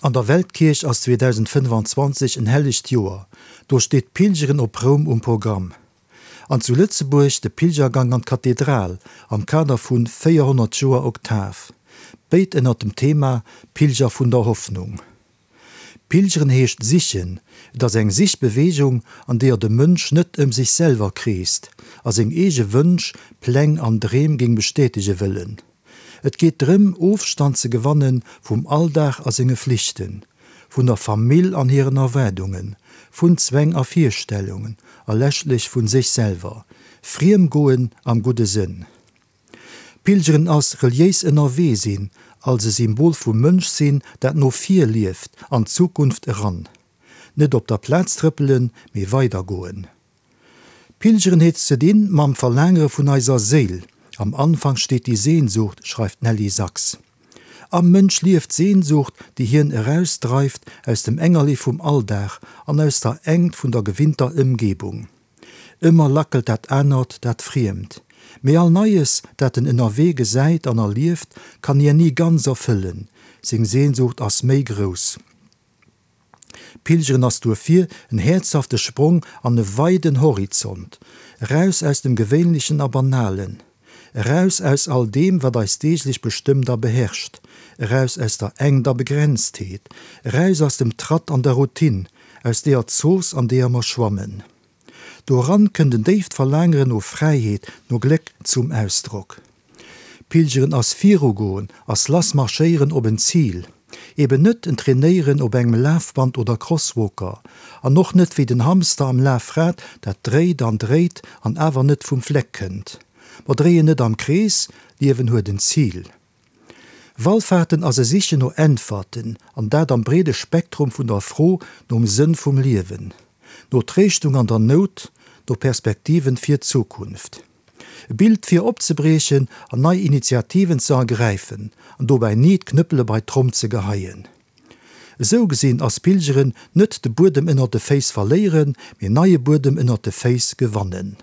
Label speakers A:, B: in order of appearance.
A: An der Weltkierch ass 2025 en hellegt Joer, do steet d'Pilgeren op Roum um Programm. An zu Lëtzebuerg de Pilgergang an d'Kathedral am Kader vu 400 Joer Oktav, béid ënnert dem Thema Pilger vun der Hoffnung. Pilgeren heescht sichen, et ass eng Sichbeweegung, an deeër de Mënsch net ëm sech selwer kreest a seng eege Wënsch, Pläng an Dreem géing bestätege wëllen. Et geet drëm, Ofstand ze gewanne vum Alldag a senge Flichten, vun der Famill an hiren Erwaardungen, vun Zwäng a Virstellungen a leschtlech vu sech selwer. Friem goen am gudde Sënn. Pilgeren ass reliéis ënnerwee sinn, als e Symbol vum Mënschsinn, dat no vir lieft, an d'Zukunft eran. Net op der Plaz trëppelen, mee weidergoen. Pilgeren huet ze dinn mam Verlaangere vun eiser Séil. Am Anfang steht die Sehnsucht, schreift d'Nelly Sachs. Am Mënsch lieft d'Sehnsucht, déi hien erausdreift aus dem Engerlee vum Alldag an aus der Engt vun der gewinnter Ëmgebung. Ëmmer lackelt dat Anert, dat Friemt. Mee all Neies, dat en ënnerwee gesäit an erlieft, kann hien ni ganz erfëllen. Seng Sehnsucht ass méi grouss. Pilgeren ass duerfir en häerzhafte Sprong an e weiden Horizont, eraus aus dem Gewéinlechen a Banalen, eraus aus all deem, wat eis deeglech bestëmmt a beherrscht, eraus aus der Engt a Begrenztheet, eraus aus dem Tratt an der Routine, aus deeër Zooss, an deeër mer schwammen. Doran kënnt en déift Verlaangeren no Fräiheet, no Gléck zum Ausdrock. Pilgeren ass virugoen, ass lass marschéieren op en Zil. Eben net en Trainéieren op engem Lafband oder Crosswalker, an och net wéi den Hamster am Lafrad, dat dréit an dréit an awer net vum Fleck kënnt. Mer dréien net am Krees, Liewen huet en Zil. Wallfahrten ass e Sichen no Äntwerten, an dat am breede Spektrum vun der Fro nom Sënn vum Liewen, no Tréischtung an der Nout, no Perspektiven fir d'Zukunft. E Bild fir opzebriechen an nei Initiativen ze ergräifen an dobäi ni d'Knëppele bei d'Tromm ze geheien. Esou gesinn ass Pilgeren net de Buedem ënnert de Féiss verléieren, mee neie Buedem ënnert de Féiss gewannen.